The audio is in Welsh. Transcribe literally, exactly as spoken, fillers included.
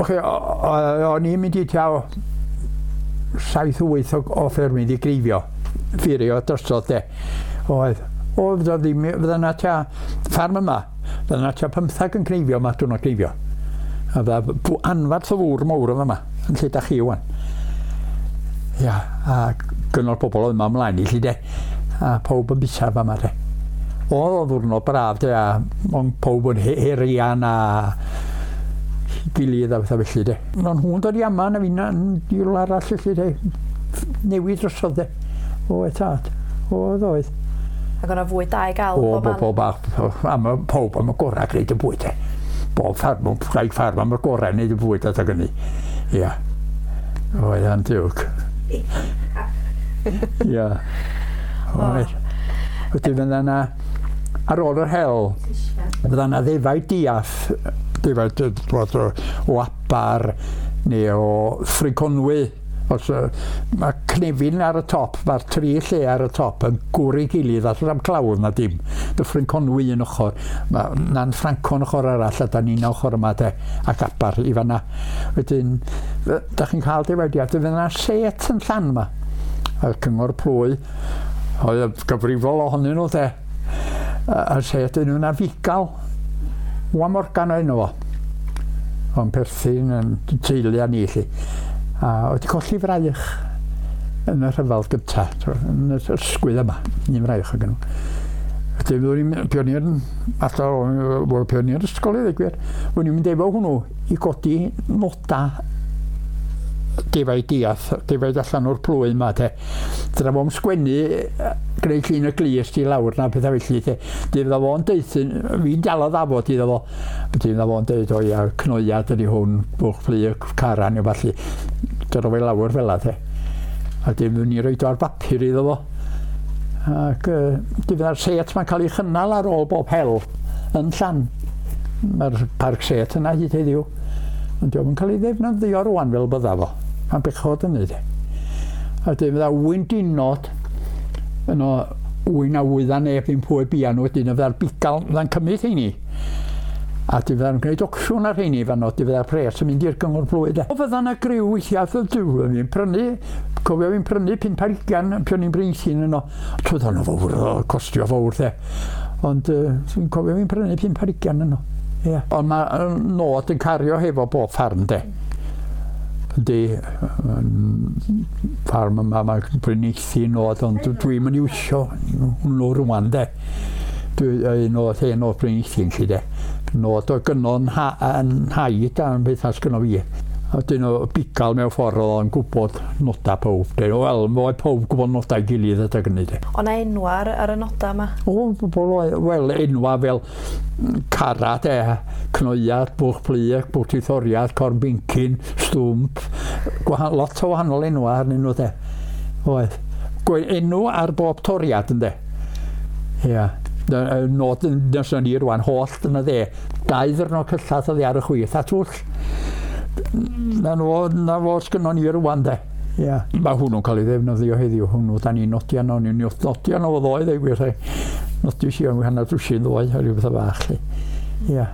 Oce, o'n i'n mynd i tua saith wyth o, o ffermydd i greifio, ffurio drosodd de. Oedd, o, fydda ddim, fydda na tua ffarm yma, fydda na tua pymthag yn creifio yma, diwrnod creifio. A fydda anfarth o fwr mawr yma, yn lle da chi wan. Ia, a gynnal pobl oedd yma ymlaen i lle de. A pawb yn bisa fama de. Oedd o ddwrnod braf de, a ond pawb yn herian a gilydd a bethau felly de. Ond nhw'n dod i yma na fi'n i rywle arall felly de. Newid drosodd de. Oedd tad. Oedd oedd. Ac o'na fwyd da i gael o, bob man? O, am y pob am y gorau gwneud y bwyd de. Bob ffarm, rhaid ffarm am y gorau gwneud y bwyd adag hynny. Ia. Oedd yn diwg. Ia. Oedd. Wedyn fydda yna, ar ôl yr hel, fydda yna ddefaid diath, defaid o, o Abar neu o Ffrinconwy. Os, uh, mae cnefin ar y top, mae'r tri lle ar y top yn gwrdd gilydd, a am clawdd na dim. Dyffryn Conwy yn ochr, mae Nan Ffrancon ochr arall, a da ni'n ochr yma de, ac Abar i fanna. Wedyn, da chi'n cael defaid, fydd yna set yn llan yma. A'r cyngor plwy, oedd gyfrifol ohonyn nhw de. A set yn yna fugal, Wa Morgan o enw fo. O'n perthyn yn teulu a ni lli. A oedd colli fraich yn y rhyfel gynta, yn y ysgwydd yma, un fraich o gynnu. Wedyn fyddwn ni'n pioneer, allan o'r pioneer ysgol i ddweud gwir, fyddwn ni'n mynd efo hwnnw i godi noda defaid diath, defaid allan o'r plwy yma te. Dyna fo'n sgwennu, gwneud llun y glust i lawr na pethau felly te. Dyna fo'n deuthyn, fi'n dal o ddafod iddo fo. Dyna fo'n deud, o ia, cnoiad ydi hwn, bwch plu, caran neu falle. Dyna fo'i lawr fel la te. A dyna ni roed o ar bapur iddo fo. Ac uh, dyna'r set mae'n cael ei chynnal ar ôl bob hel yn llan. Mae'r parc set yna hyd heddiw. Ond diolch yn cael ei ddefnyddio rwan fel bydda fo. Mae'n bechod yn neud e. A dyn fydda wyndinod yno wyn a wydda neb ddim pwy bia nhw wedyn, fydda'r bugail fydda'n cymryd heini. A dyn fydda'n gwneud ocsiwn ar heini fan o, dyn fydda'r pres yn mynd i'r gyngor plwy de. O fydda yna griw weithiau, dwi fi'n prynu, cofio fi'n prynu pump ar ugain, pan o'n i'n Bryneithyn yno. Twyd o'n fawr, costio fawr de. Ond uh, fi'n cofio fi'n prynu pump ar ugain yno. Yeah. Ond mae nod yn cario hefo bob ffarm de. Yndi, ffarm yma mae Bryneithyn nod, ond dwi'n mynd i wsio hwnnw rwan de. Dwi nod hen o'r Bryneithyn lly de. Nod o gynnon yn haid a'n beth as gynno fi. A dyn o bugail mewn ffordd oedd o'n gwybod noda pob. Dyn o, wel, mae pob gwybod nodau gilydd adag hynny de. O na enwa ar, ar y noda yma? O, wel, enwa fel cara de, cnoiad, bwch plu, bwch tithoriad, corn bincyn, stwmp, gwahan, lot o wahanol enwa arnyn nhw de. Oedd. Enw ar bob toriad ynde. Ia. Nod yn nes ni rwan, holl yn y dde. Dau ddyrnod cyllath oedd ar y chwith a twll. Na fo, na fo sgynnon ni rwan de. Ia. Mae hwnnw'n cael ei ddefnyddio heddiw, hwnnw, da ni'n nodi arno, ni'n nodi arno fo ddoe, dweud gwir. Nodi si o'n hanner dwsin ddoe, a rhyw bethau bach. Ia.